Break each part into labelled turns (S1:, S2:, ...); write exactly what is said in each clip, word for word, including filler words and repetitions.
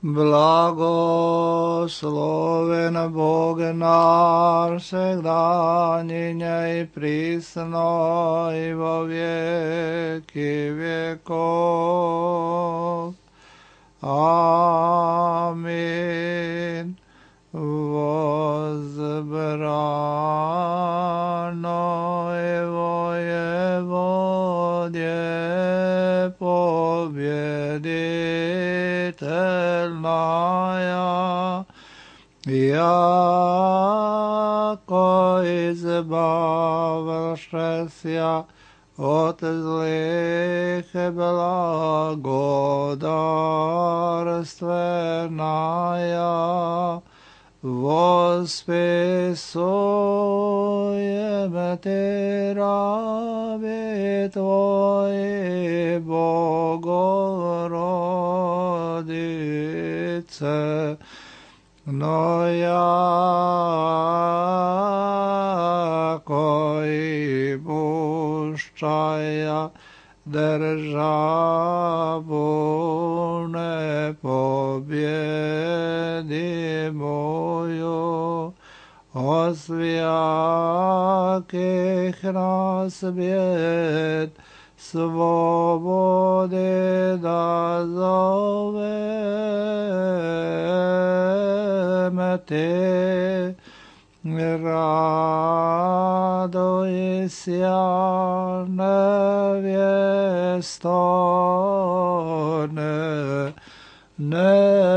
S1: Blagosloven Bog naš, всегда и присно и во веки веков. Аминь. Возбраной воеводе победительная, яко избавившися от злых благодарственная, восписуем Ти раби Твои, Богородице, но яко и пущая державу непобедимую, от всяких нас бед свободы дозовем Ти. Радуйся, невесто небесная.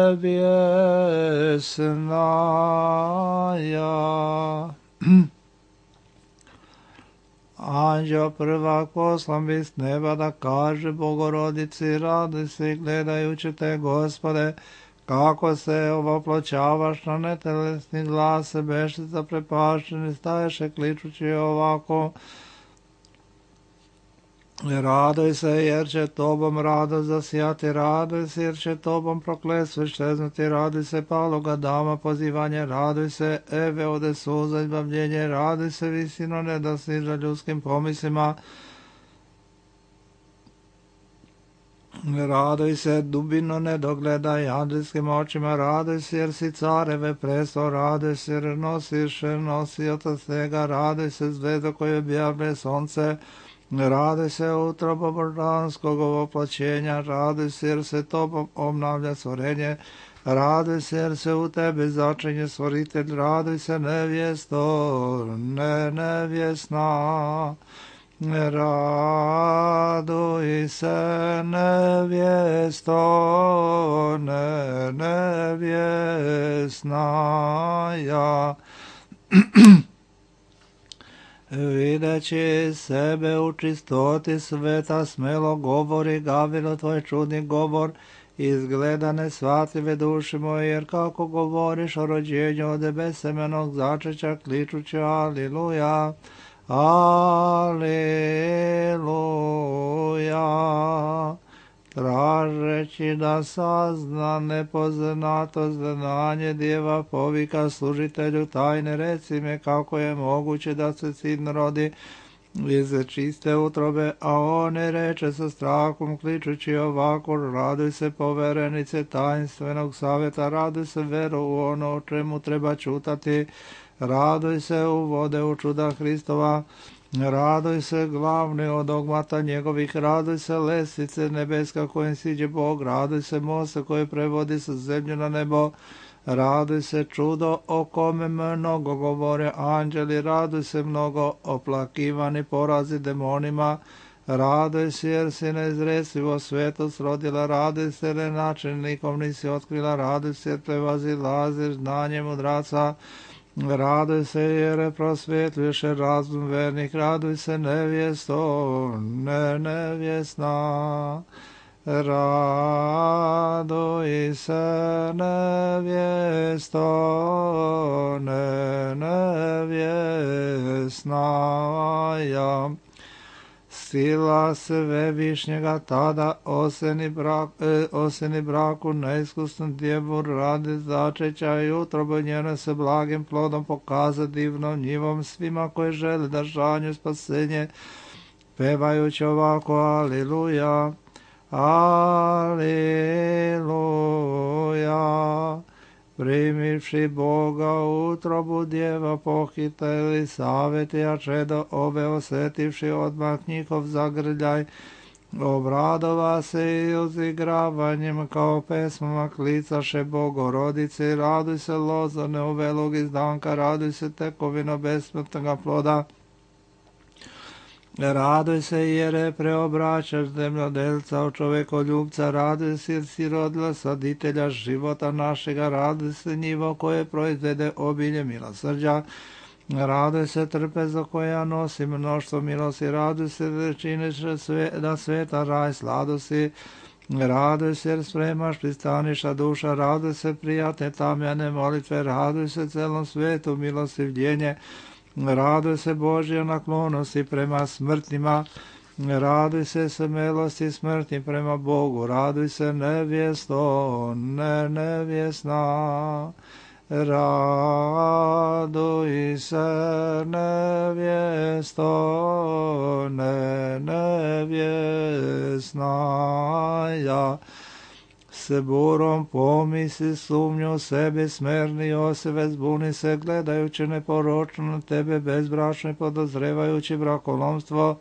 S1: Anđeo prvak poslan bi s neba da kaže Bogorodici, radujsi gledajući te, Gospode, kako se ovoploćavaš na netelesni glas, beše zaprepašćeni, staješe kličući ovako: Raduj se, jer će tobom radost zasijati, raduj se, jer će tobom prokletstvo iščeznuti, raduj se, paloga dama pozivanje, raduj se, Eve ode suza izbavljenje, raduj se, visino nedosiža ljudskim pomislima, raduj se, dubino nedogledaj anđelskim očima, raduj se, jer si careve presto, raduj se, jer nosiš nosioca svega, raduj se, zvezdo koje objavlje sonce, raduj se, utrobo božanskog ovoploćenja, raduj se, jer se tobom obnavlja stvorenje, raduj se, jer se u tebi začinje stvoritelj, raduj se, nevjesto, ne nevjesna, raduj se, nevjesto, ne nevjesnaja. Videći sebe u čistoti sveta, smelo govori Gavilo tvoj čudni govor, izgleda nesvatljive duši moje, jer kako govoriš o rođenju od besemenog začeća, kličući aliluja, aliluja, tražeći da sazna nepoznato znanje djeva, povika služitelju tajne, reci me kako je moguće da se sin rodi iz čiste utrobe, a on ne reče sa strahom, kličući ovako: raduj se, poverenice tajnstvenog savjeta, raduj se, veru u ono o čemu treba čutati, raduj se, u vode u čuda Hristova, raduj se, glavni od dogmata njegovih, raduj se, lestvice nebeska kojim siđe Bog, raduj se, mosta koje prevodi sa zemlju na nebo, raduj se, čudo o kome mnogo govore anđeli, raduj se, mnogo oplakivani porazi demonima, raduj se, jer si neizrecivo svetost rodila, raduj se, jer načelnikom nisi otkrila, raduj se, jer prevazilaziš znanje mudraca, raduj se, jer prosvjetljuješ razum vernih, raduj se, nevjesto, ne nevjesna, raduj se, nevjesto, ne nevjesnaja. Sila Svevišnjega tada oseni, brak, e, oseni braku neiskusnom djevu radi začeća i utrobu njene se blagim plodom pokaza divnom njivom svima koji žele da žanju spasenje, pevajući ovako aliluja. Aleluja. Primivši Boga u utrobu djeva pohiteli savjetija čedo obe osjetivši odmah njihov zagrljaj, obradova se i uzigravanjem kao pesmama klicaše Bogorodice, raduj se lozane u velog izdanka, raduj se tekovino besmrtnoga ploda, raduj se jer je preobraćaš zemljodelca u čovekoljubca, raduj se jer si rodila saditelja života našega, raduj se njivo koje proizvede obilje milosrđa, raduj se trpezo koja nosi mnoštvo milosti, raduj se da činiš sve, da sveta raj sladosti, raduj se jer spremaš pristaniša duša, raduj se prijatne tamjane molitve, raduj se celom svetu milostivljenje, raduj se Božja naklonosti prema smrtnima, raduj se smelosti smrtni prema Bogu, raduj se nevjesto, ne nevjesna, raduj se nevjesto, ne nevjesna, ja se burom pomisli sumnju sebi smerni Joseve, zbuni se gledajući neporočno na tebe bezbračno i podozrevajući brakolomstvo,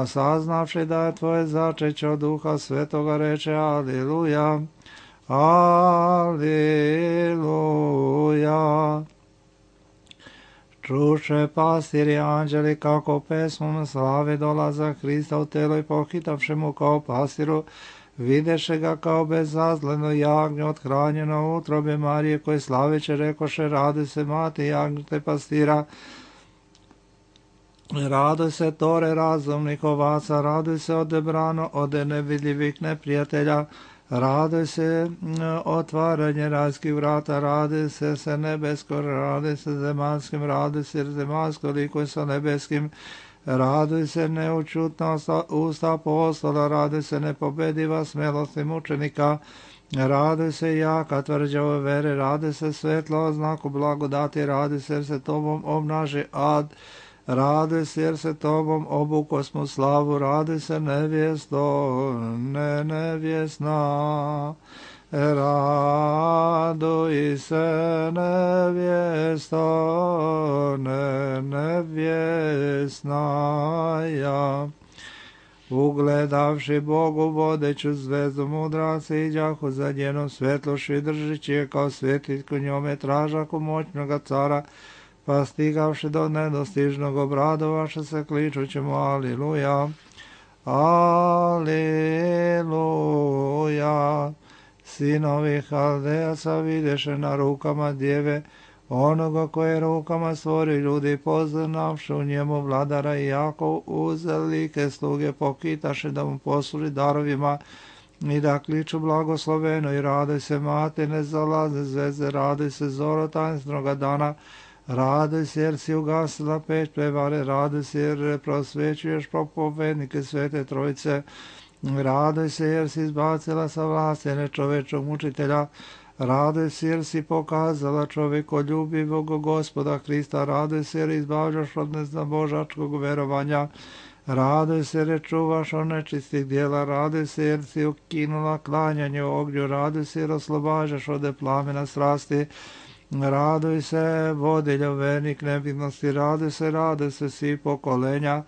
S1: saznavši da je tvoje začeće od Duha Svetoga, reče Aleluja, Aleluja. Čuše pastiri anđeli kako pesmom slave dolaza Hrista u telo i pohitavši mu kao pastiru, videše ga kao bezazleno jagnje othranjeno u utrobe Marije, koje slaveće rekoše, raduj se mati jagnjete pastira, raduj se tore razumnih ovaca, raduj se odebrano od nevidljivih neprijatelja, raduj se otvaranje rajskih vrata, raduj se se nebesko, raduj se zemanskim, raduj se zemansko likuje sa nebeskim, raduj se neučutna usta apostola, raduj se nepobediva smelosti mučenika, raduj se jaka tvrđa ove vere, raduj se svetlo znaku blagodati, raduj se jer se tobom obnaži ad, raduj se jer se tobom obuko smo slavu, raduj se nevjesto, ne nevjesna, raduj se nevjesto, ne nevjesna, ja. Ugledavši Bogu vodeću zvezdu mudraci iđahu za njenom svetloši, držići je kao svjetiljku njome tražaku moćnoga cara, pa stigavši do nedostižnog obradovaše se kličući mu Aliluja, Aliluja. Sinovi Haldejaca videše na rukama djeve onoga koje rukama stvori ljudi, poznavši u njemu vladara i jako uzelike sluge pokitaše da mu posluži darovima i da kliču blagosloveno i raduj se mate nezalazne zvezde, raduj se zoro tajnstvenoga dana, raduj se jer si ugasila peć prevare, raduj se jer prosvećuješ propovednike Svete Trojice, raduj se jer si izbacila sa vlasti nečovečog mučitelja, raduj se jer si pokazala čovjekoljubivog Gospoda Hrista, raduj se jer izbavljaš od neznabožačkog verovanja, raduj se jer čuvaš od nečistih dijela, raduj se jer si ukinula klanjanje ognju, raduj se jer oslobađaš od plamena strasti, raduj se vodiljo vernik nevidnosti, raduj se, raduj se svi pokolenja,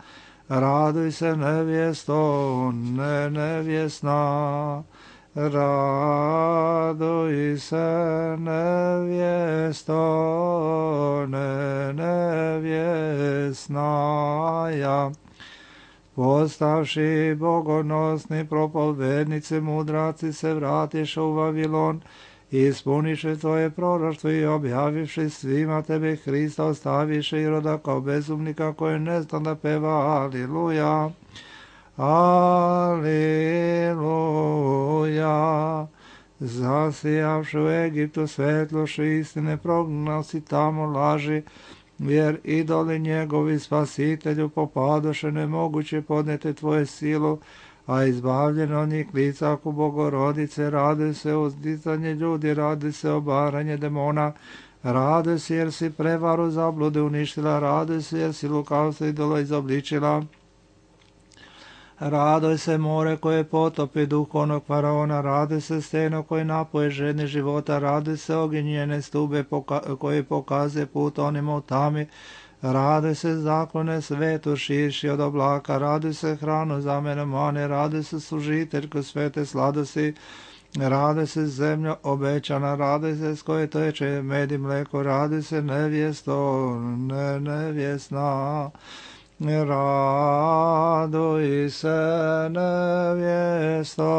S1: raduj se nevjesto, ne nevjesna, raduj se nevjesto, ne nevjesna, ja. Postavši bogonosni propovednici mudraci se vratiše u Vavilon, ispuniše tvoje proroštvo i objavivši svima tebe Hrista, ostaviše Iroda kao bezumnika koji ne zna da peva Aliluja, Aliluja. Zasijavši u Egiptu svetloši istine, prognao si tamo laži, jer idoli njegovi spasitelju popadoše, nemoguće podnete tvoje silu, a izbavljeno od njih licaku Bogorodice, raduj se uzdizanje ljudi, raduj se obaranje demona, raduj se jer si prevaru zablude uništila, raduj se jer si lukavstvo idolo izobličila, Radoj se more koje potopi duh onog faraona, radoj se steno koje napoje žedni života, radoj se ognjene stube poka- koje pokazuje put onima u tami, radoj se zaklone svetu širši od oblaka, radoj se hranu za mene mane, radoj se služiteljko svete sladosti, radoj se zemlja obećana, radoj se s koje teče med i mleko, radoj se nevjesto, ne nevjesna. Radoj se nevjesto,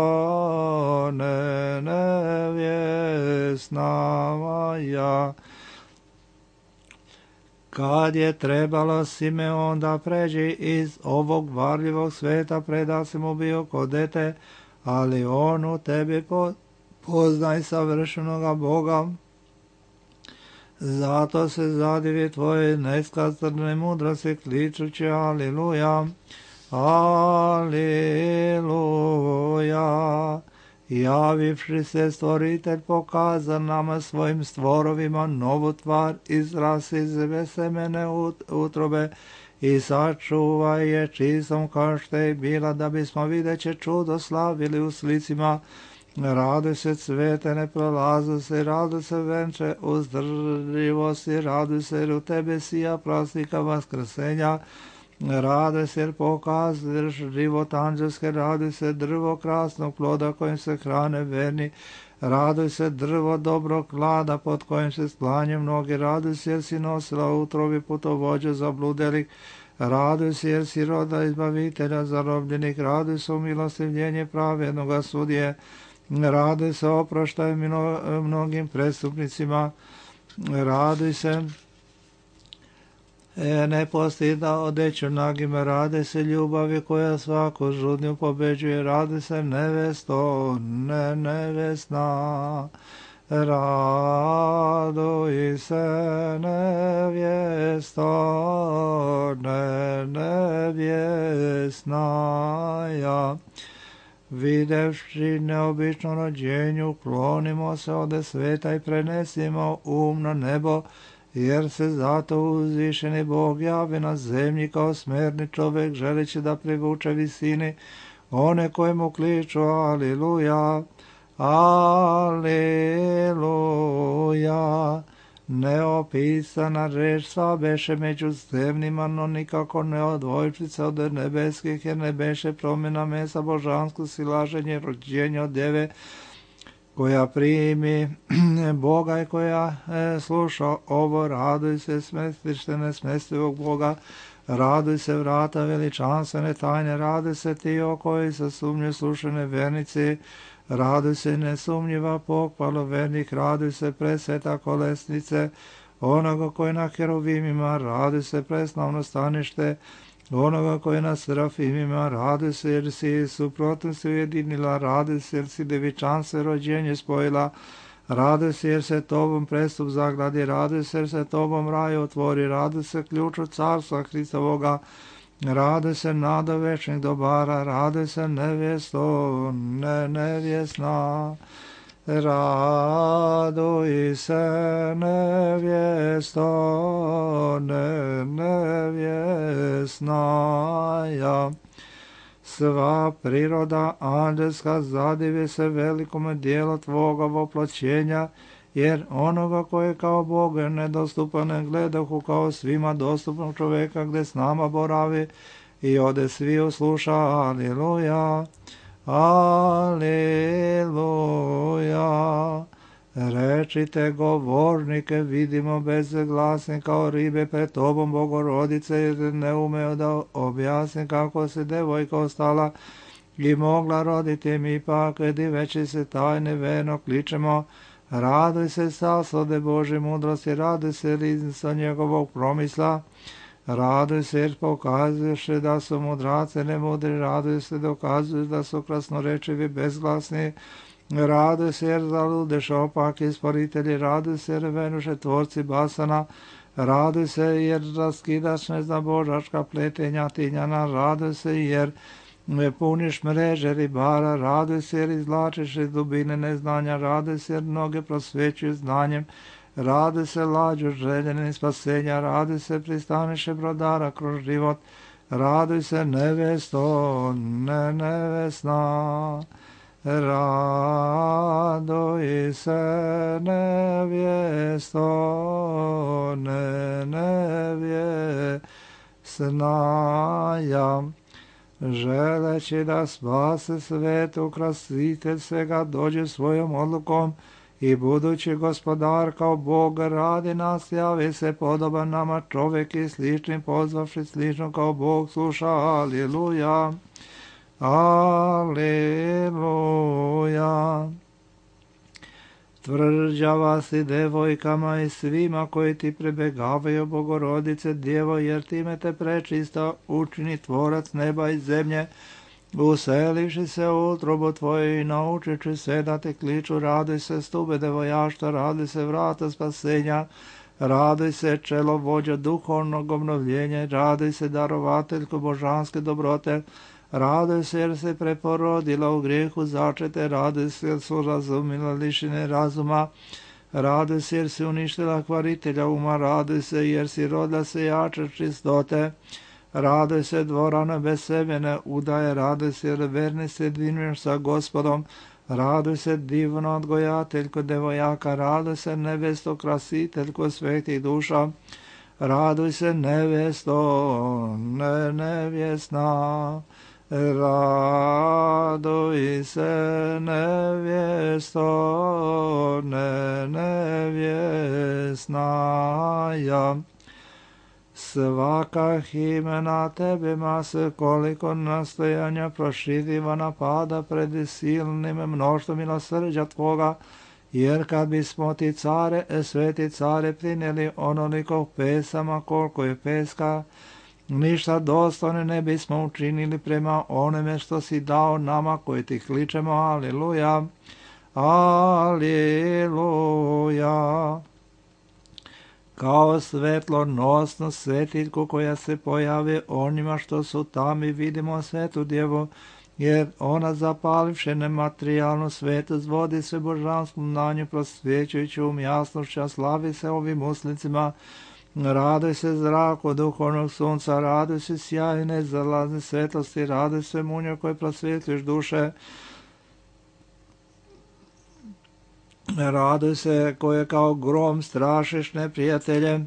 S1: ne nevjesna moja. Kad je trebalo Simeon da pređe iz ovog varljivog sveta, preda si mu bio kod dete, ali on u tebi poznaj savršenoga Boga. Zato se zadivi tvoje neskazane mudrosti, kličući Aliluja, Aliluja. Javivši se stvoritelj pokaza nama svojim stvorovima novu tvar, izraz iz semene utrobe i sačuvaj je čistom kao što je bila, da bismo videće čudo slavili u slicima. Rado se cvete, ne prolazu se, rado se venče uzdrživosti, rado se jer u tebe sija praznika vaskrsenja, rado se jer pokazuješ život anđelske, rado se drvo krasnog ploda kojim se hrane verni, rado se drvo dobrog klada pod kojim se sklanje mnogi, rado se jer si nosila utrobi putovođa zabludelih, raduj se jer si roda izbavitelja zarobljenih, raduj se u milostivljenje pravednoga sudije, raduj se oproštaj mnogim prestupnicima, raduj se e, ne postida odeću nagima, raduj se ljubavi koja svaku žudnju pobeđuje, raduj se nevesto, ne nevesna, raduj se nevjesto, ne nevjesna ja. Videvši neobično rođenju, klonimo se ode sveta i prenesimo um na nebo, jer se zato uzvišeni Bog javi na zemlji kao smerni čovjek, želeći da privuče visini one koje mu kliču Aliluja, Aliluja. Neopisana reč sva beše među zemljima, no nikako ne odvojčica od nebeskih, jer ne beše promjena mesa božansko silaženje rođenja od djeve, koja primi Boga i koja e, sluša ovo. Raduj se smestište nesmestivog Boga, raduj se vrata veličanstvene tajne, raduj se ti o koji sa sumnju slušane vernici, raduj se nesumnjiva pohvalo vernih, raduj se presveta kolesnice onoga koji na heruvimima, raduj se preslavno stanište onoga koji na serafimima, raduj se jer si suprotno se ujedinila, raduj se jer si devičanstvo rođenje spojila, raduj se jer se tobom prestup zagladi, raduj se jer se tobom raj otvori, raduj se ključu carstva Hristovoga, raduj se nada večnih dobara, raduj se nevjesto, ne nevjesna, raduj se nevjesto, ne nevjesna ja. Sva priroda anđelska zadivi se velikome dijelu tvoga voploćenja, jer onoga koje kao Bog nedostupan ne gledahu kao svima dostupnog čovjeka gdje s nama boravi i ode svi usluša Aliluja, Aliluja. Rečite govornike, vidimo bezglasni kao ribe pred tobom Bogorodice, jer ne umeo da objasni kako se devojka ostala i mogla roditi, mi pak diveći se tajne verno kličemo, raduj se saslode Bože mudrosti, raduj se riznica njegovog promisla, raduj se jer pokazuješ da su mudrace nemudri, raduj se dokazuješ da su krasnorečivi bezglasni, raduj se jer zaludeš opak isporitelji, raduj se jer venuše tvorci basana, raduj se jer raskidaš neznabožačka pletenja tinjana, raduj se jer ne puniš mreže ribara, raduj se jer izvlačiš iz dubine neznanja, raduj se jer mnoge prosvećuju znanjem, raduj se lađu željene spasenja, raduj se pristaniše brodara kroz život, raduj se nevjesto, ne nevjesna, raduj se nevjesto, ne nevjesna, ja. Želeći da spase svet, ukrasitelj svega dođe svojom odlukom i budući gospodar kao Bog radi nas, javi se podoban nama čovjek i sličnim pozvavši slično kao Bog sluša. Aliluja, aliluja. Tvrđava si devojkama i svima koji ti prebegavaju, Bogorodice Djevo, jer time te prečista učini tvorac neba i zemlje, uselivši se u utrobu tvoju i naučići se da te kliču. Raduj se stube devojašta, raduj se vrata spasenja, raduj se čelo vođa duhovnog obnovljenja, raduj se darovateljko božanske dobrote, raduj se jer se preporodila u grijehu začete, raduj se jer su razumila lišine razuma, raduj se jer si uništila kvaritelja uma, raduj se jer si rodila se jače čistote, raduj se dvorana bez semene udaje, raduj se jer verni se dvinuješ sa Gospodom, raduj se divno odgojateljko devojaka, raduj se nevesto krasiteljko svetih duša, raduj se nevjesto, ne nevjesna, raduj se nevjesto, ne nevjesna, ja. Svaka himena tebima se koliko nastojanja proširiva napada pred silnim mnoštvom milosrđa tvoga, jer kad bismo ti care, sveti care, prinijeli onoliko pesama koliko je peska, ništa dostojno ne bismo učinili prema onome što si dao nama koji ti kličemo. Aliluja, aliluja. Kao svetlonosnu svetiljku koja se pojavi onima što su tamo, i vidimo svetu djevu, jer ona zapalivše nematerijalnu svetost vodi se božanskom znanju, prosvjećujući um jasnošća, slavi se ovim uslicima. Raduj se zraku duhovnog sunca, raduj se sjajne zalazne svetlosti, raduj se munjo koje prosvjetljuješ duše, raduj se koje kao grom strašiš neprijatelje,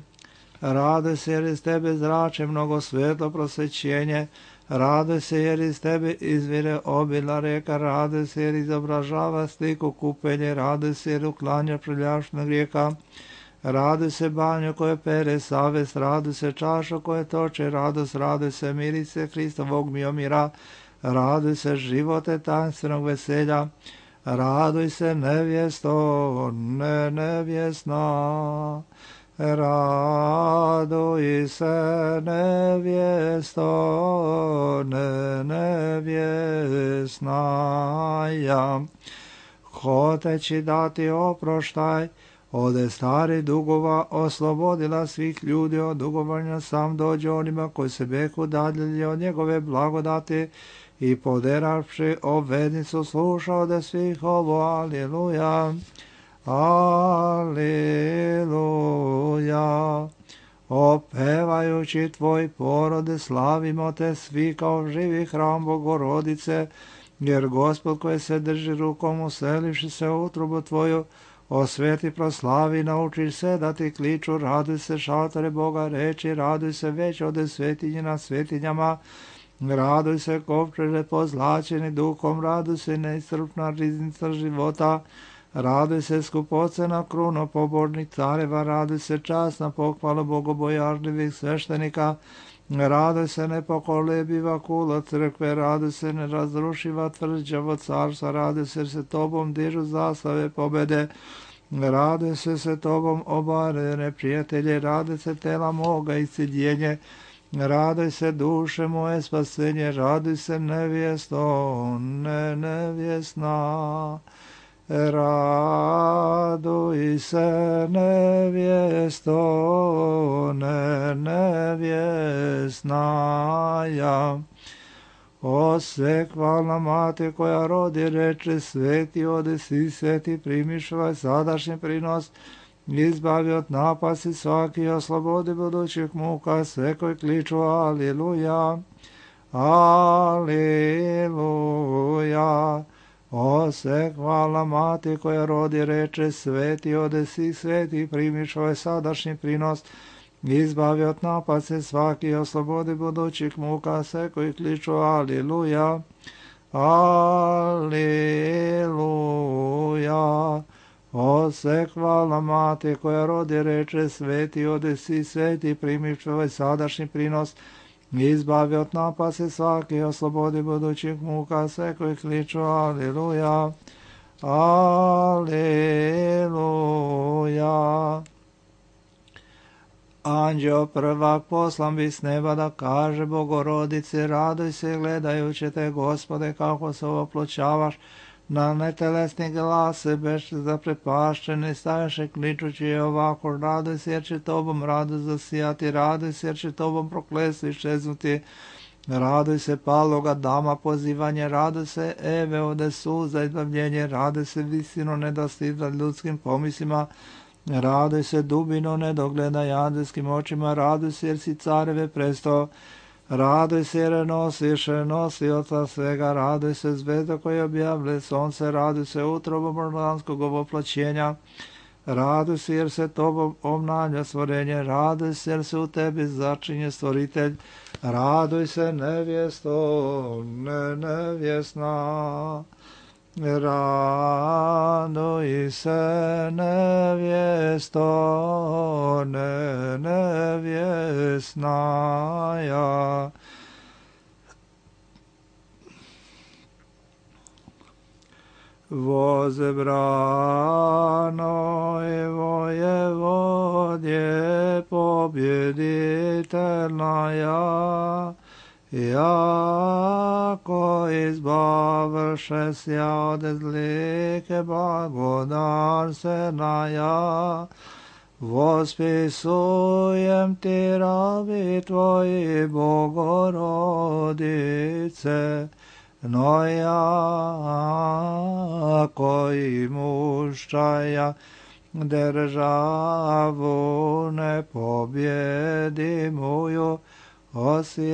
S1: raduj se jer iz tebe zrače mnogo svetlo prosvećenje, raduj se jer iz tebe izvire obilna reka, raduj se jer izobražava sliku kupenje, raduj se jer uklanja prljašnog grijeha, raduj se banjo koje pere savest, raduj se čašo koje toče radost, raduj se mirice Hristovog miomira, raduj se živote tajnstvenog veselja, raduj se nevjesto, ne nevjesna, raduj se nevjesto, ne nevjesna, ja. Hoteći dati oproštaj ode stari dugova, oslobodila svih ljudi od dugovanja, sam dođe onima koji se beku daljili od njegove blagodati i poderavši obvednicu sluša ode svih ovo. Aliluja, aliluja. Opevajući tvoj porode slavimo te svi kao živi hram Bogorodice, jer Gospod koji se drži rukom uselivši se u utrubu tvoju, osveti proslavi, nauči se da ti kliču, raduj se šatore Boga reči, raduj se već ode svetinje na svetinjama, raduj se kovčeže pozlačeni duhom, raduj se neiscrpna riznica života, raduj se skupocena kruno pobožnih careva, raduj se časna pohvala bogobojažljivih sveštenika, raduj se nepokolebiva kula crkve, raduj se nerazrušiva tvrđavo carstva, raduj se se tobom dižu zastave pobede, raduj se se tobom obare neprijatelje, raduj se tela moga isceljenje, raduj se duše moje spasenje, raduj se nevjesto, ne nevjesna, raduj se nevjesto, ne nevjesna, ja. O sekvalna mati koja rodi reče sveti ode si sveti primiš ovaj sadašnji prinos, izbavi od napasti svaki, oslobodi budućih muka, sve koji kliču Aliluja, Aliluja. O se hvala mati koja rodi reče, sveti ode svih sveti, primiš ovaj sadašnji prinos, izbavi od napasti svaki, oslobodi budućih muka, sve koji kliču Aliluja, Aliluja. O se hvala mati koja rodi reče, sveti ode svi sveti, primiš ovaj sadašnji prinos, izbavi od napasti svaki, oslobodi budućih muka, sve koji kliču Aliluja, Aliluja. Anđeo prvak poslan bi s neba da kaže Bogorodice, raduj se gledajući te, Gospode, kako se oploćavaš, na netelesni glas se beš zaprepašćeni, stajaše kličući ovako, raduj se jer će tobom radost zasijati, raduj se jer će tobom prokletstvo iščeznuti, raduj se paloga dama pozivanje, raduj se Eve ode suza izbavljenje, raduj se visino nedostizat ljudskim pomislima, raduj se dubino nedogleda jadelskim očima, raduj se jer si careve prestao, raduj se jer nosiš nosioca svega, raduj se zvezda koja objavlja sonce, raduj se utrobo mordanskog ovoploćenja, raduj se jer se tobom obnavlja stvorenje, raduj se jer se u tebi začinje stvoritelj, raduj se nevjesto, ne nevjesna, raduj se nevjesto, ne nevjesnaja. Vozebrano i vojevodje pobjeditelnaja, jako izbavše sja od zlike blagodarstvenaja, vospisujem ti rabi tvoji Bogorodice, no jako i muščaja državu nepobjedimuju, osjakih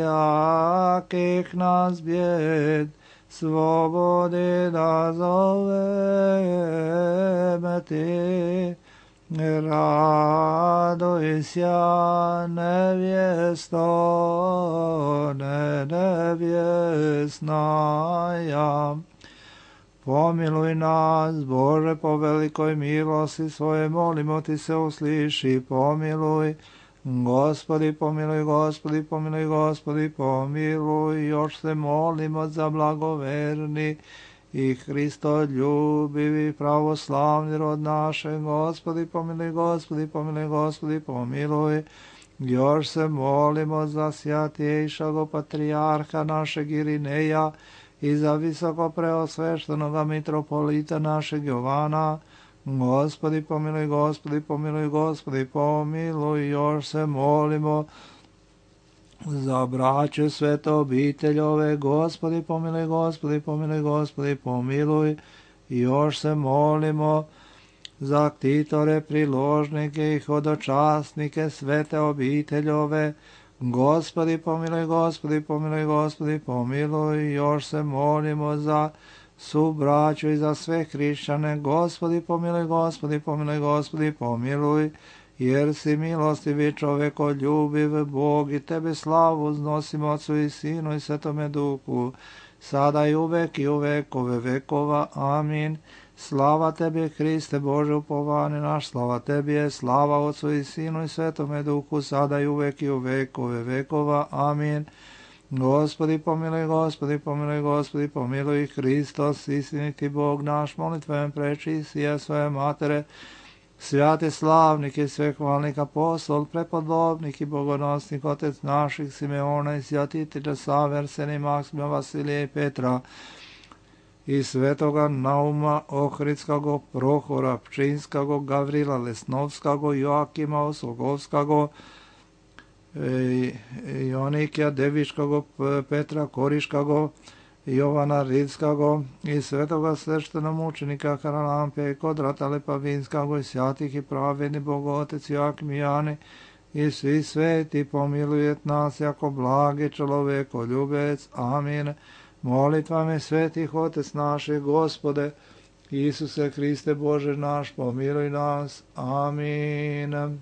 S1: nas bjed slobodi da zoveme ti, raduj sja nevjesto, ne nevjesnaja. Pomiluj nas, Bože, po velikoj milosti svoje, molimo ti se usliši, pomiluj. Gospodi, pomiluj, Gospodi, pomiluj, Gospodi, pomiluj, još se molimo za blagoverni i Hristoljubivi pravoslavni rod naše, Gospodi, pomiluj, Gospodi, pomiluj, Gospodi, pomiluj, još se molimo za sjatiješago patrijarha našeg Irineja i za visoko preosveštenoga mitropolita našeg Jovana, Gospodi, pomiluj, Gospodi, pomiluj, Gospodi, pomiluj, još se molimo za braću svete obiteljove, Gospodi, pomiluj, Gospodi, pomiluj, Gospodi, pomiluj, još se molimo za ktitore, priložnike i hodočasnike svete obiteljove, Gospodi, pomiluj, Gospodi, pomiluj, Gospodi, pomiluj, još se molimo za su braću i za sve hrišćane, Gospodi, pomiluj, Gospodi, pomiluj, Gospodi, pomiluj, jer si milostivi čoveko ljubiv Bog i tebe slavu uznosimo Otcu i Sinu i Svetome Duhu, sada i uvek i u vekove vekova. Amin. Slava tebi, Hriste Bože upovani naš, slava tebi je, slava Otcu i Sinu i Svetome Duhu, sada i uvek i u vekove vekova. Amin. Gospodi, pomiluj, Gospodi, pomiluj, Gospodi, pomiluj, Hristos, istiniti Bog naš, molitvejem preči sije svoje matere, svjati slavnik i svehvalnik apostol, prepodobnik i bogonosnik, otec naših Simeona i sjatitelja Saverseni, Maksima, Vasilija i Petra, i svetoga Nauma Ohridskago, Prohora Pčinskago, Gavrila Lesnovskago, Joakima Oslogovskago, Jonikija Deviškago, Petra Koriškago, Jovana Ridskago i svetoga sveštenomučenika Karalampija i Kodrata Lepavinskago i svjatih i pravedni Bogotec Joakim i Jani i svi sveti pomilujet nas jako blagi čovjeko ljubec. Amin. Molitvami svetih Otec naših, Gospode, Isuse Hriste Bože naš, pomiluj nas. Amin.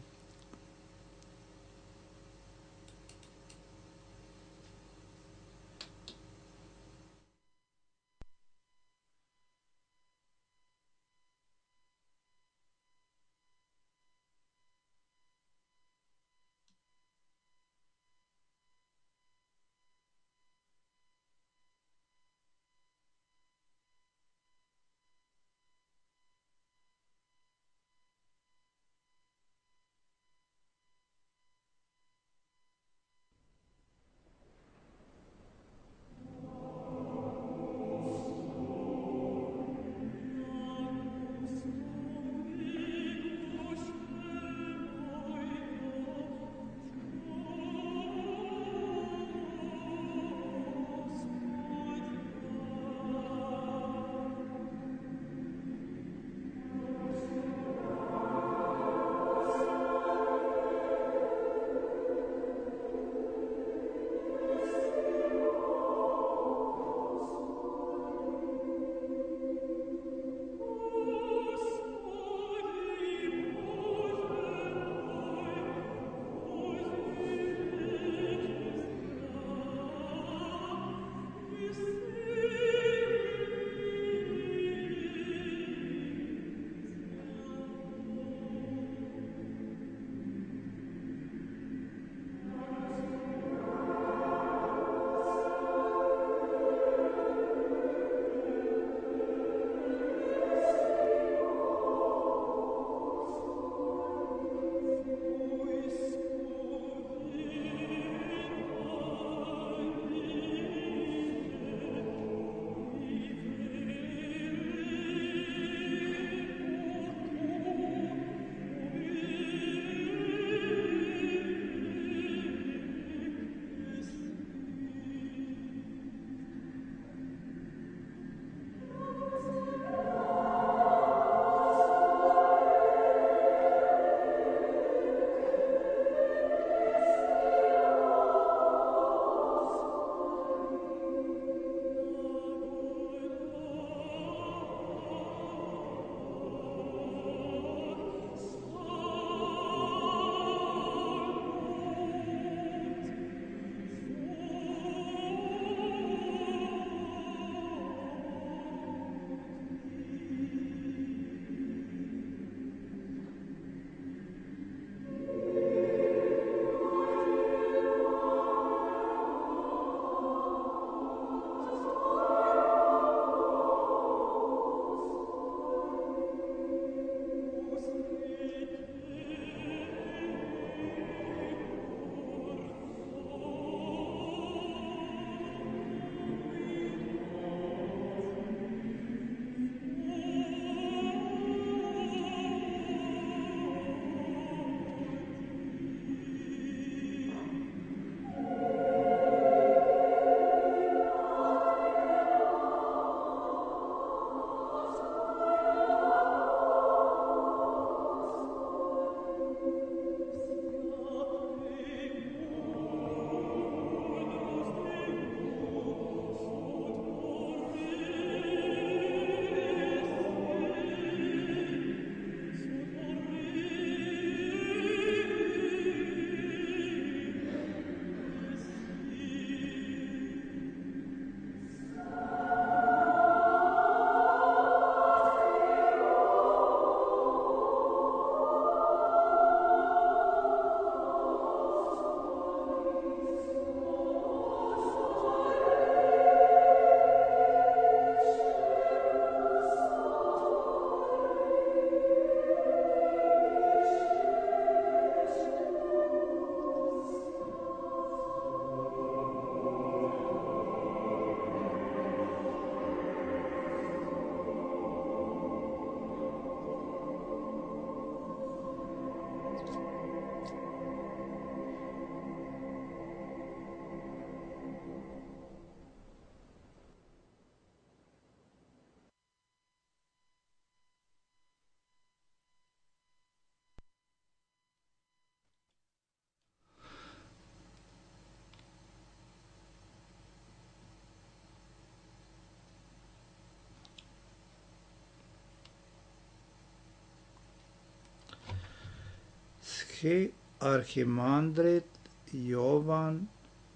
S1: arhimandrit Jovan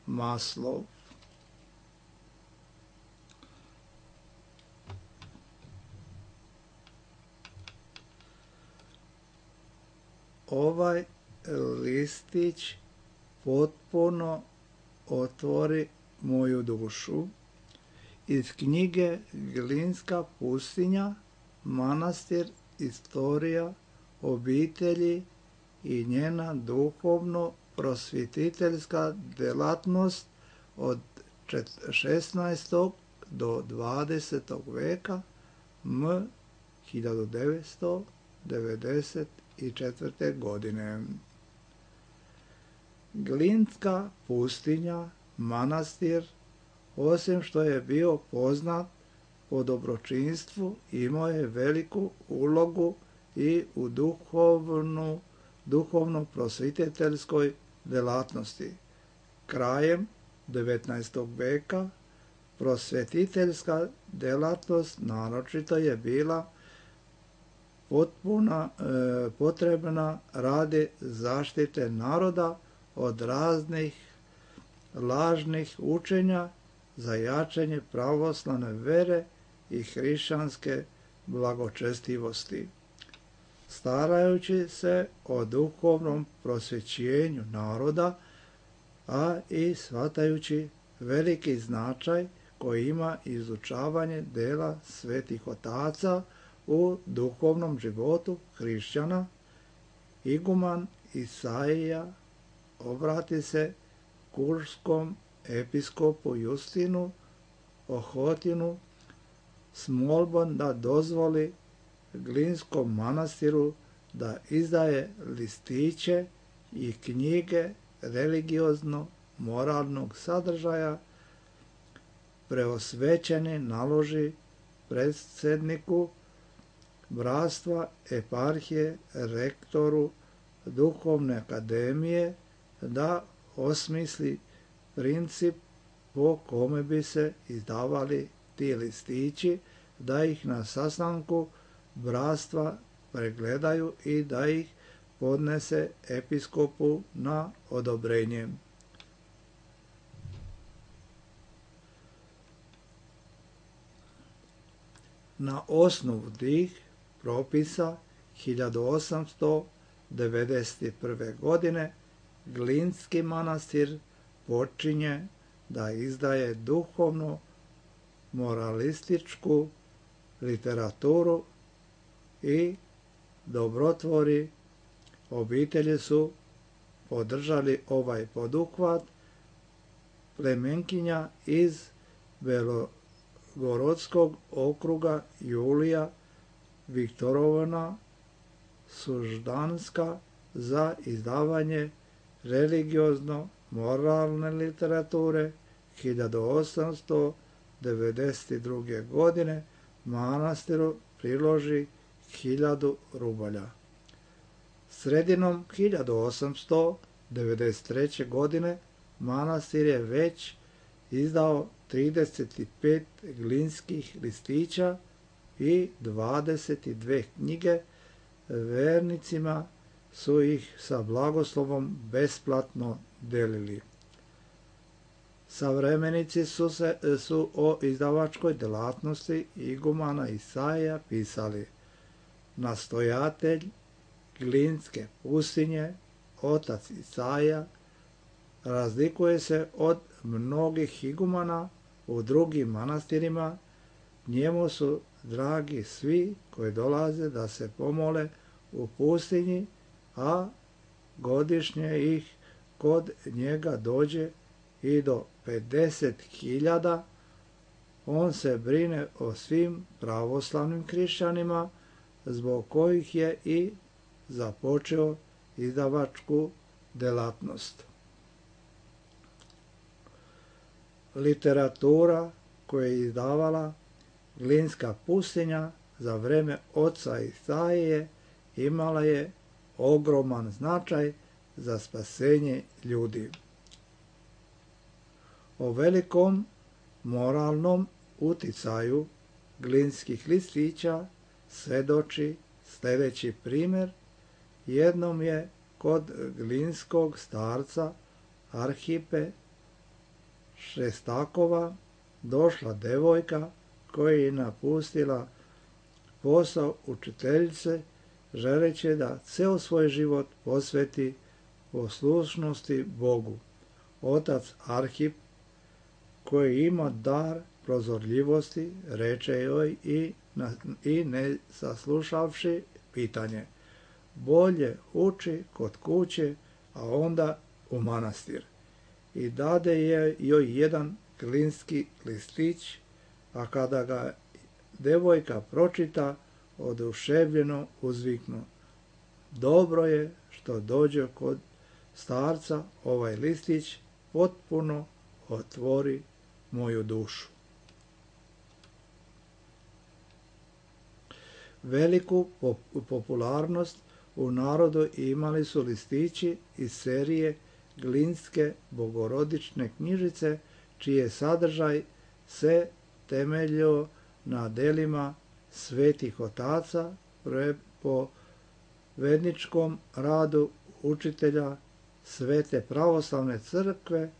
S1: Maslov. Ovaj listić potpuno otvori moju dušu. Iz knjige Glinska pustinja, manastir, istorija obitelji i njena duhovno prosvjetiteljska delatnost od šesnaestog do dvadesetog veka m. hiljadu devetsto devedeset četvrte. godine. Glinska pustinja, manastir, osim što je bio poznat po dobročinstvu, imao je veliku ulogu i u duhovnu, duhovno prosvjetiteljskoj delatnosti. Krajem devetnaestog veka prosvjetiteljska delatnost naročito je bila potpuna, e, potrebna radi zaštite naroda od raznih lažnih učenja za jačanje pravoslavne vere i hrišćanske blagočestivosti. Starajući se o duhovnom prosvećenju naroda, a i shvatajući veliki značaj koji ima izučavanje dela svetih otaca u duhovnom životu hrišćana, iguman Isaija obrati se kurskom episkopu Justinu Ohotinu s molbom da dozvoli Glinskom manastiru da izdaje listiće i knjige religiozno-moralnog sadržaja, preosvećeni naloži predsjedniku bratstva, eparhije, rektoru duhovne akademije da osmisli princip po kome bi se izdavali ti listići, da ih na sastanku bratstva pregledaju i da ih podnese episkopu na odobrenje. Na osnovu tih propisa hiljadu osamsto devedeset prve. godine Glinski manastir počinje da izdaje duhovno moralističku literaturu i dobrotvori obitelji su podržali ovaj poduhvat. Plemenkinja iz Belogorodskog okruga Julija Viktorovna Suždanska za izdavanje religiozno-moralne literature hiljadu osamsto devedeset druge. godine manastiru priloži hiljadu rubalja. Sredinom hiljadu osamsto devedeset treće. godine manastir je već izdao trideset pet glinskih listića i dvadeset dve knjige. Vernicima su ih sa blagoslovom besplatno delili. Savremenici su, se, su o izdavačkoj delatnosti igumana Isaija pisali: nastojatelj Glinske pustinje, otac Isaija, razlikuje se od mnogih igumana u drugim manastirima. Njemu su dragi svi koji dolaze da se pomole u pustinji, a godišnje ih kod njega dođe i do pedeset hiljada. On se brine o svim pravoslavnim hrišćanima, zbog kojih je i započeo izdavačku delatnost. Literatura koju je izdavala Glinska pustinja za vreme oca Isaije imala je ogroman značaj za spasenje ljudi. O velikom moralnom uticaju glinskih listića svedoči sljedeći primjer. Jednom je kod glinskog starca Arhipe Šestakova došla devojka koja je napustila posao učiteljice, želeći da ceo svoj život posveti poslušnosti Bogu. Otac Arhip, koji ima dar prozorljivosti, reče joj i, na, i ne saslušavši pitanje, bolje uči kod kuće, a onda u manastir. I dade je joj jedan glinski listić, a kada ga devojka pročita, oduševljeno uzviknu, dobro je što dođe kod starca, ovaj listić potpuno otvori moju dušu. Veliku popularnost u narodu imali su listići iz serije Glinske bogorodične knjižice, čiji je sadržaj se temeljio na delima svetih otaca po vedničkom radu učitelja Svete pravoslavne crkve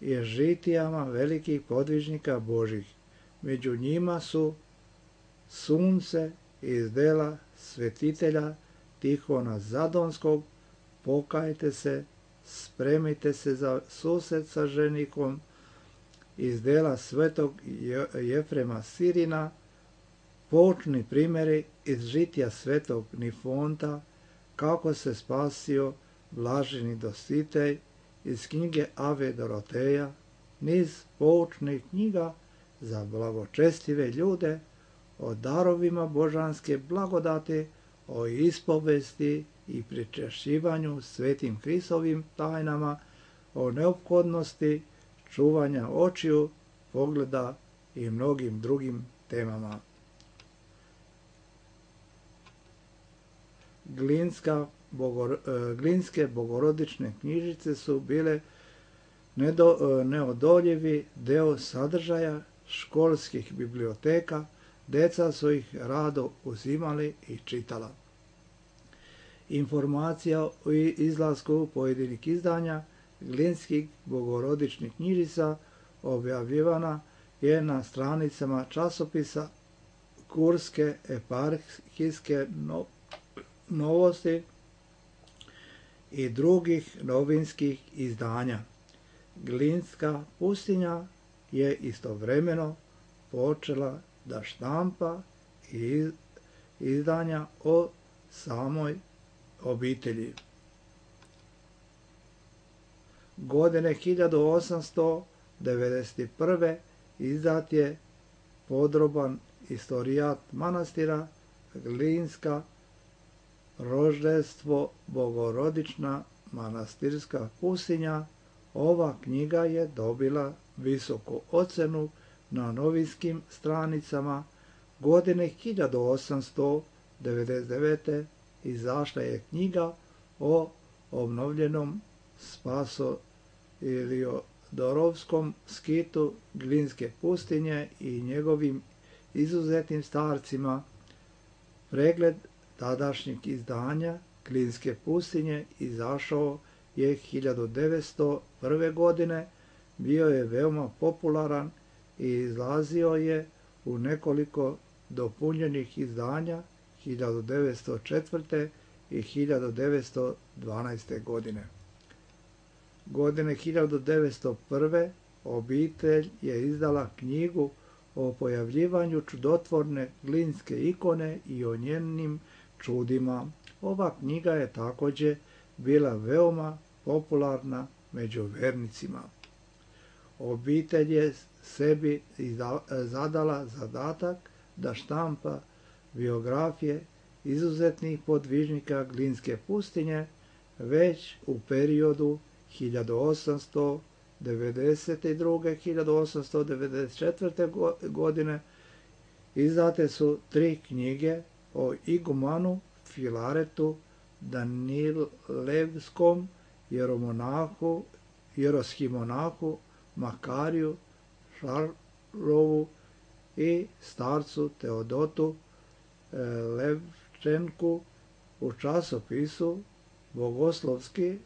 S1: i žitijama velikih podvižnika Božih. Među njima su Sunce iz dela svetitelja Tihona Zadonskog, pokajte se, spremite se za susret sa ženikom, iz dela svetog Jefrema Sirina, poučni primjeri iz žitija svetog Nifonta, kako se spasio blaženi Dositej, iz knjige Ave Doroteja, niz poučnih knjiga za blagočestive ljude, o darovima božanske blagodati, o ispovesti i pričešćivanju svetim Hristovim tajnama, o neophodnosti čuvanja očiju, pogleda i mnogim drugim temama. Glinska, bogor, glinske bogorodične knjižice su bile nedo, neodoljivi deo sadržaja školskih biblioteka, deca su ih rado uzimali i čitala. Informacija o izlasku pojedinih izdanja glinskih bogorodičnih knjižica objavljivana je na stranicama časopisa Kurske eparhijske novosti i drugih novinskih izdanja. Glinska pustinja je istovremeno počela da štampa i izdanja o samoj obitelji. Godine hiljadu osamsto devedeset prve izdat je podroban istorijat manastira Glinska Roždestvo bogorodična manastirska pustinja. Ova knjiga je dobila visoku ocenu na novinskim stranicama. Godine hiljadu osamsto devedeset devete izašla je knjiga o obnovljenom Spaso Iliodorovskom skitu Glinske pustinje i njegovim izuzetnim starcima. Pregled tadašnjeg izdanja Glinske pustinje izašao je hiljadu devetsto prve. godine, bio je veoma popularan i izlazio je u nekoliko dopunjenih izdanja hiljadu devetsto četvrte. i hiljadu devetsto dvanaeste. godine. Godine hiljadu devetsto prve. obitelj je izdala knjigu o pojavljivanju čudotvorne glinske ikone i o njenim čudima. Ova knjiga je također bila veoma popularna među vernicima. Obitelj je sebi zadala zadatak da štampa biografije izuzetnih podvižnika Glinske pustinje već u periodu hiljadu osamsto devedeset druge. do hiljadu osamsto devedeset četvrte. godine izdate su tri knjige o igumanu Filaretu Danilevskom, jeromonahu, jeroshimonahu Makariju Šarlovu i starcu Teodotu Levčenku u časopisu bogoslovski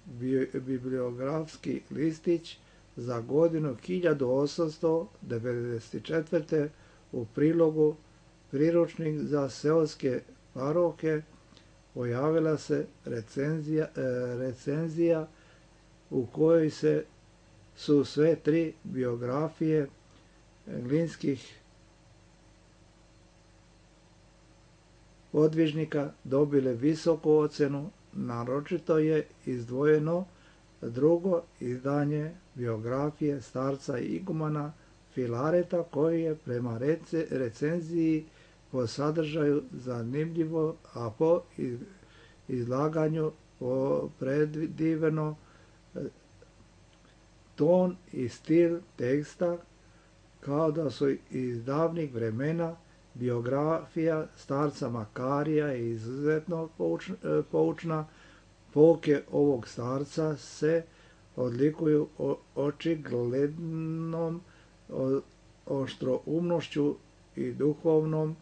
S1: bibliografski listić za godinu hiljadu osamsto devedeset četvrte u prilogu priručnik za seoske parohe pojavila se recenzija, recenzija u kojoj se su sve tri biografije glinskih podvižnika dobile visoku ocenu. Naročito je izdvojeno drugo izdanje biografije starca igumana Filareta, koji je prema rece, recenziji po sadržaju zanimljivo, a po izlaganju predivno ton i stil teksta, kao da su iz davnih vremena. Biografija starca Makarija je izuzetno poučna. Pouke ovog starca se odlikuju očiglednom oštroumnošću i duhovnom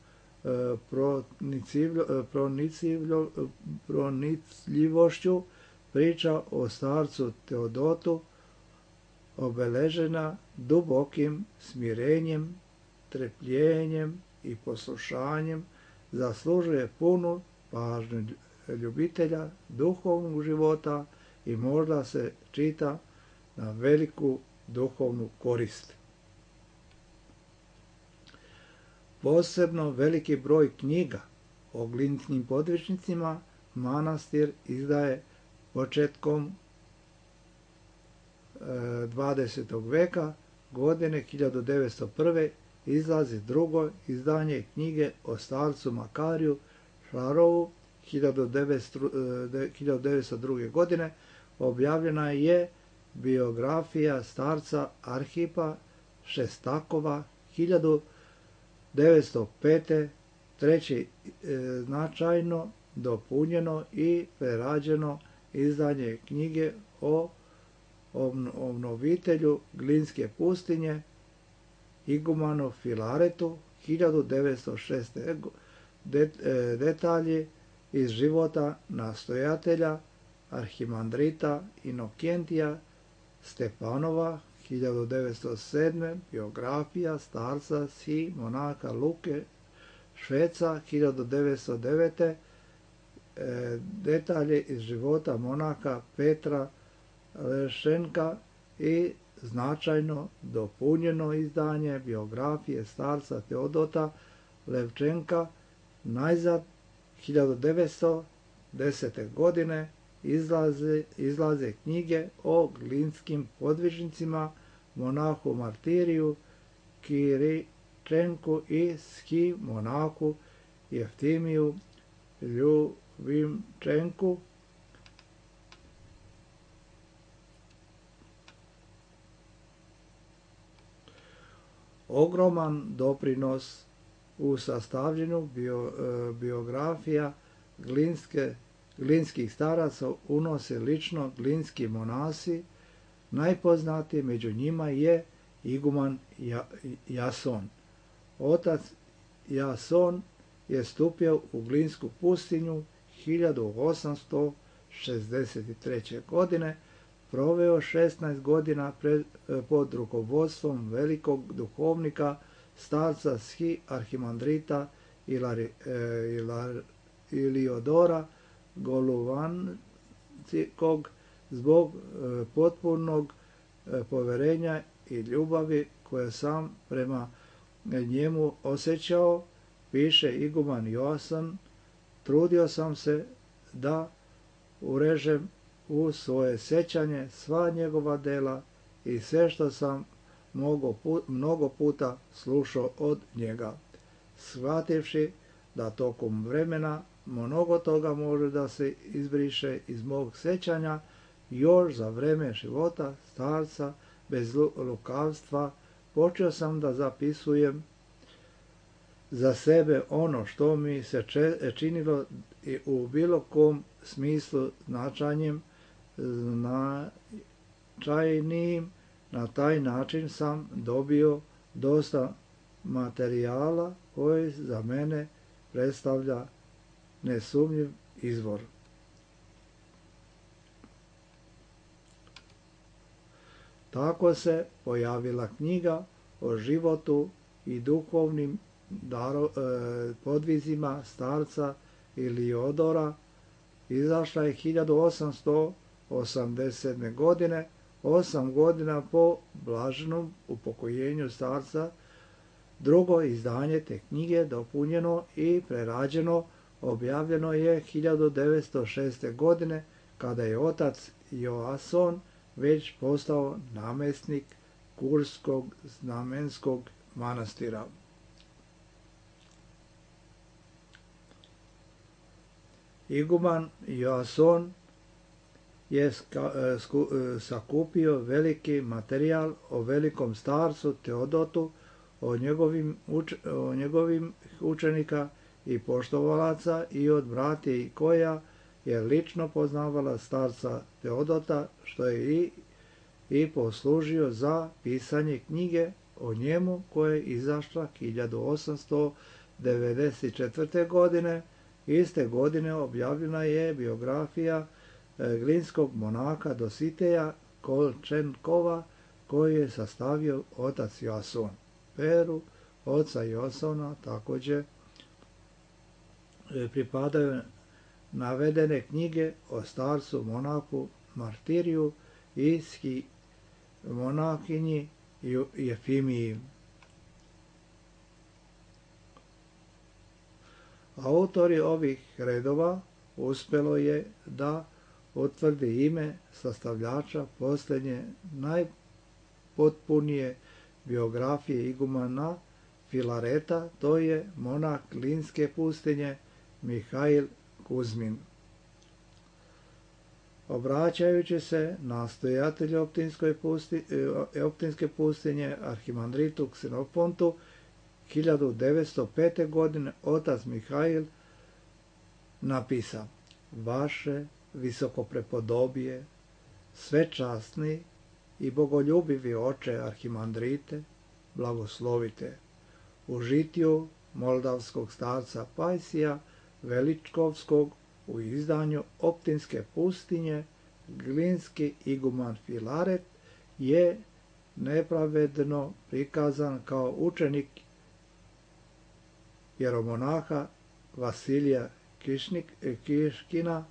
S1: pronicljivošću. Priča o starcu Teodotu, obeležena dubokim smirenjem, trpljenjem i poslušanjem, zaslužuje punu pažnju ljubitelja duhovnog života i možda se čita na veliku duhovnu korist. Posebno veliki broj knjiga o glinskim podvižnicima manastir izdaje početkom dvadesetog veka. Godine hiljadu devetsto prve izlazi drugo izdanje knjige o starcu Makariju Šarovu. hiljadu devetsto druge. godine objavljena je biografija starca Arhipa Šestakova. hiljadu devetsto pete. treće značajno dopunjeno i prerađeno izdanje knjige o obnovitelju Glinske pustinje igumanu Filaretu. hiljadu devetsto šeste. detalji iz života nastojatelja arhimandrita Inokentija Stepanova. hiljadu devetsto sedme. biografija starca Si monaka Luke Šveca. hiljadu devetsto devete. detalje iz života monaka Petra Lešenka i značajno dopunjeno izdanje biografije starca Teodota Levčenka. Najzad hiljadu devetsto desete. godine izlaze, izlaze knjige o glinskim podvižnicima, monahu Martiriju Kiričenku i ski monahu Jeftimiju Ljubimčenku. Ogroman doprinos u sastavljanju bio, biografija glinske, glinskih staraca unose lično glinski monasi. Najpoznatiji među njima je iguman Jason. Otac Jason je stupio u Glinsku pustinju hiljadu osamsto šezdeset treće. godine, proveo šesnaest godina pred, pod rukovodstvom velikog duhovnika starca Ski arhimandrita Ilari, Ilar, Iliodora Goluvanskog. Zbog potpunog poverenja i ljubavi koje sam prema njemu osjećao, piše iguman Joasan, trudio sam se da urežem u svoje sjećanje sva njegova dela i sve što sam mnogo puta slušao od njega, shvativši da tokom vremena mnogo toga može da se izbriše iz mog sjećanja. Još za vreme života starca bez lukavstva počeo sam da zapisujem za sebe ono što mi se činilo i u bilo kom smislu značajnim, značajnijim. Na taj način sam dobio dosta materijala koji za mene predstavlja nesumnjiv izvor. Tako se pojavila knjiga o životu i duhovnim daro, e, podvizima starca Iliodora. Izašla je hiljadu osamsto osamdeset sedme. godine, osam godina po blaženom upokojenju starca. Drugo izdanje te knjige, dopunjeno i prerađeno, objavljeno je hiljadu devetsto šeste. godine, kada je otac Joason već postao namjesnik Kurskog znamenskog manastira. Iguman Joason je sakupio veliki materijal o velikom starcu Teodotu, o njegovim, uč, o njegovim učenika i poštovalaca i od bratije koja je lično poznavala starca Teodota, što je i, i poslužio za pisanje knjige o njemu koja je izašla hiljadu osamsto devedeset četvrte. godine. Iste godine objavljena je biografija glinskog monaka Dositeja Kolčenkova, koji je sastavio otac Joason. Peru oca Joasona također pripadaju navedene knjige o starcu monaku Martiriju i monakinji Jefimiji. Autori ovih redova uspjelo je da utvrdi ime sastavljača posljednje najpotpunije biografije igumana Filareta, to je monak Glinske pustinje Mihail Kuzmin. Obraćajući se nastojatelju Optinske pustinje arhimandritu Ksenofontu hiljadu devetsto pete. godine otac Mihail napisa: Vaše visokoprepodobije, svečasni i bogoljubivi oče arhimandrite, blagoslovite u žitiju moldavskog starca Pajsija Veličkovskog u izdanju Optinske pustinje. Glinski iguman Filaret je nepravedno prikazan kao učenik jeromonaha Vasilija Kišnik, Kiškina,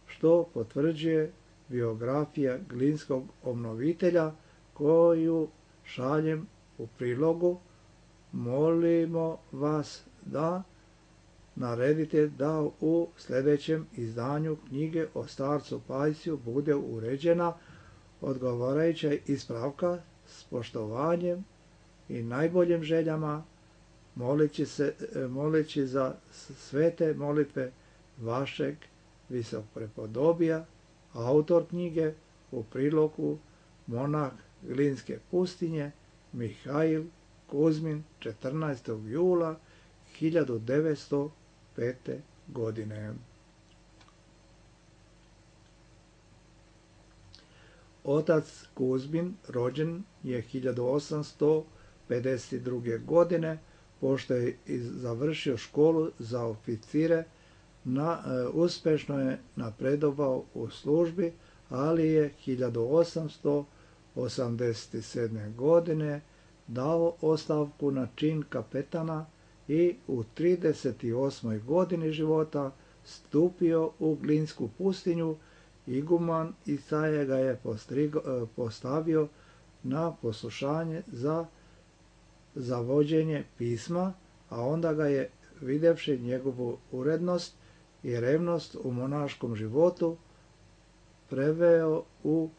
S1: što potvrđuje biografija glinskog obnovitelja koju šaljem u prilogu. Molimo vas da naredite da u sljedećem izdanju knjige o starcu Pajsiju bude uređena odgovarajuća ispravka s poštovanjem i najboljim željama, moleći, se, moleći za svete molitve vašeg visokoprepodobija, autor knjige u prilogu monah Glinske pustinje Mihail Kuzmin, četrnaestog jula hiljadu devetsto pete. godine. Otac Kuzmin rođen je hiljadu osamsto pedeset druge. godine, pošto je završio školu za oficire, na, e, uspešno je napredovao u službi, ali je hiljadu osamsto osamdeset sedme. godine dao ostavku na čin kapetana i u trideset osmoj. godini života stupio u Glinsku pustinju. Iguman Isaja ga je postrigo, postavio na poslušanje za, za vođenje pisma, a onda ga je, videvši njegovu urednost i revnost u monaškom životu, preveo u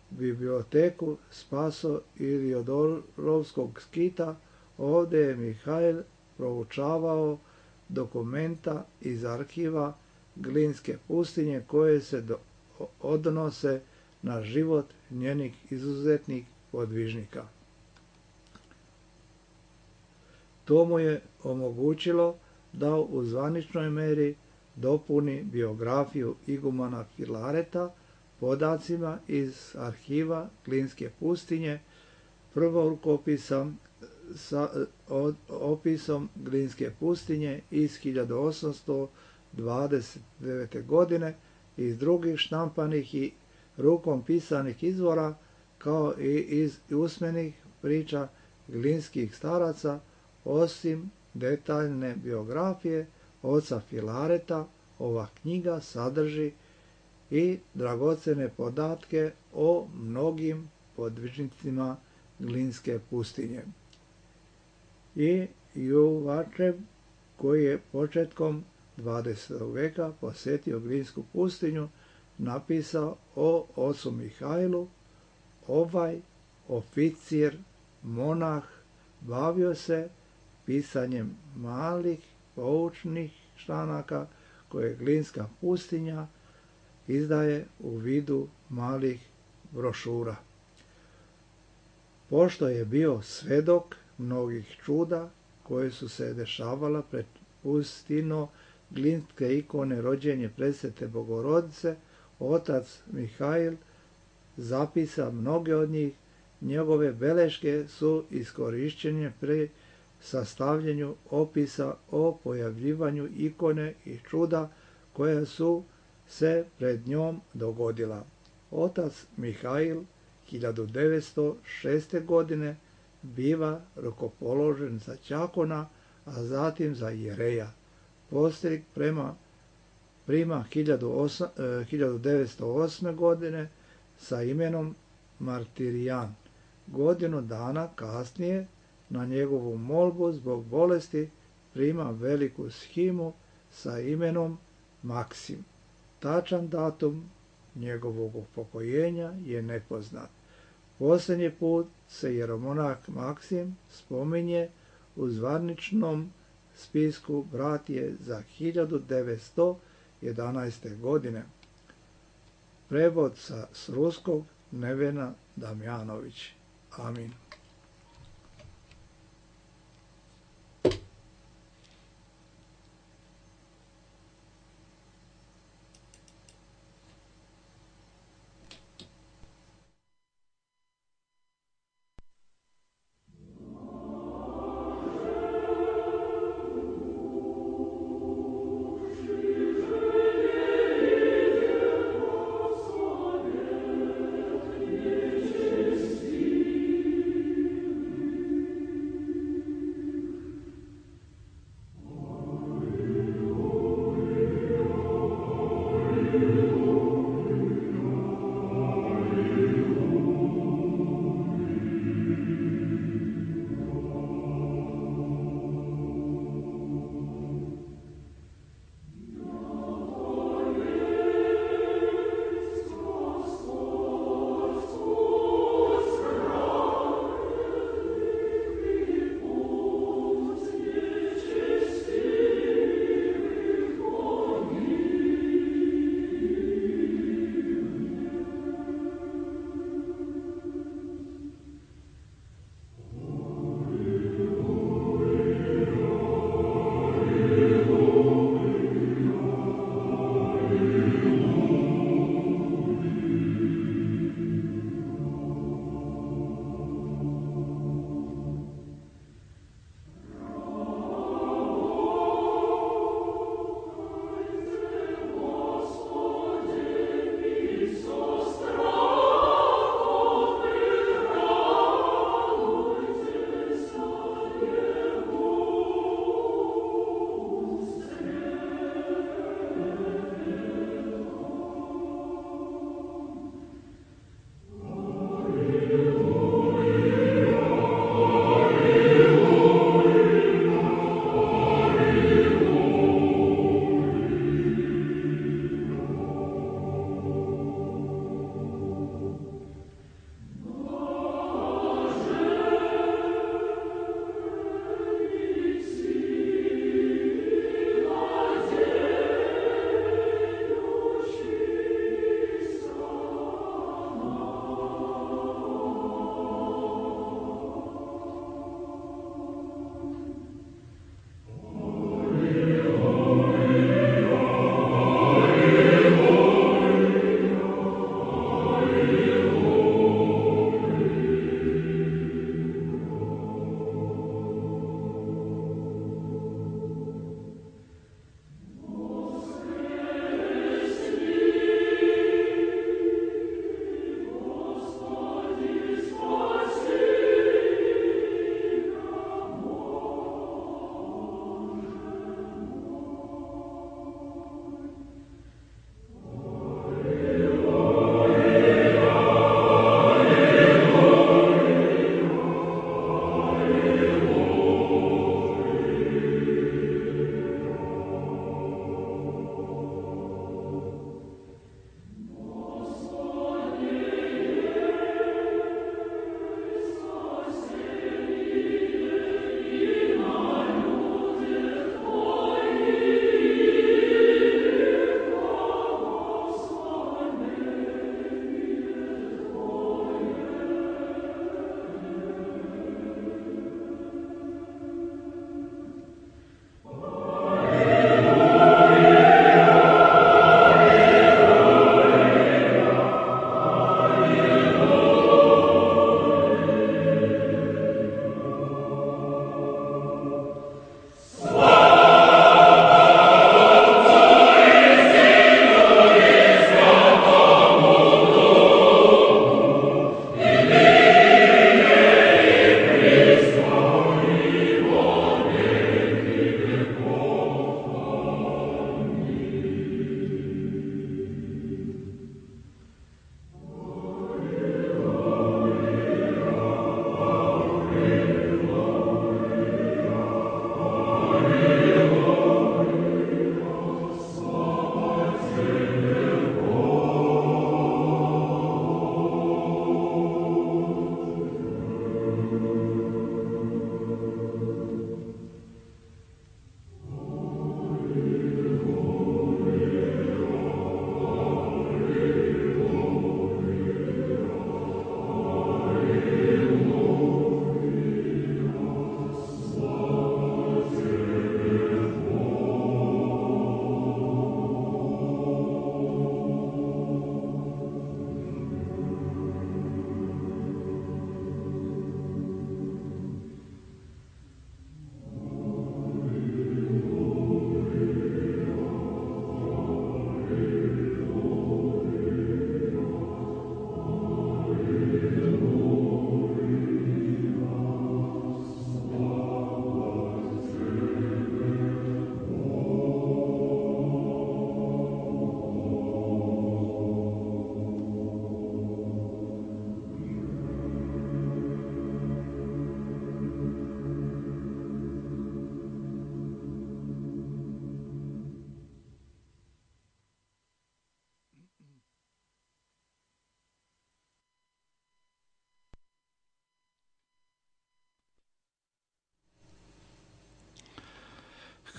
S1: biblioteku Spaso Iliodorovskog skita. Ovdje je Mihail proučavao dokumenta iz arhiva Glinske pustinje koje se do, odnose na život njenih izuzetnih podvižnika. To mu je omogućilo da u zvaničnoj meri dopuni biografiju igumana Filareta podacima iz arhiva Glinske pustinje, prvo rukopisom sa od, opisom Glinske pustinje iz hiljadu osamsto dvadeset devete. godine, iz drugih štampanih i rukom pisanih izvora, kao i iz usmenih priča glinskih staraca, osim detaljne biografije oca Filareta. Ova knjiga sadrži i dragocene podatke o mnogim podvižnicima Glinske pustinje. I Juvačev, koji je početkom dvadesetog veka posjetio Glinsku pustinju, napisao o ocu Mihajlu. Ovaj oficir, monah, bavio se pisanjem malih poučnih članaka koje Glinska pustinja izdaje u vidu malih brošura. Pošto je bio svedok mnogih čuda koje su se dešavala pred pustino Glinske ikone rođenje presvete Bogorodice, otac Mihajl zapisa mnoge od njih. Njegove beleške su iskorišćene pri sastavljanju opisa o pojavljivanju ikone i čuda koja su se pred njom dogodila. Otac Mihajl hiljadu devetsto šeste. godine biva rukopoložen za đakona, a zatim za jereja. Postrik prema prima hiljadu devetsto osme. godine sa imenom Martirijan. Godinu dana kasnije, na njegovu molbu zbog bolesti, prima veliku shimu sa imenom Maksim. Tačan datum njegovog upokojenja je nepoznat. Posljednji put se jeromonah Maksim spominje u zvaničnom spisku bratije za hiljadu devetsto jedanaeste. godine. Prevod sa s ruskog Nevena Damjanović. Amin.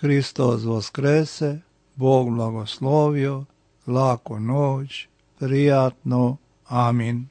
S1: Hristos Voskrese, Bog blagoslovio, laku noć, prijatno, amin.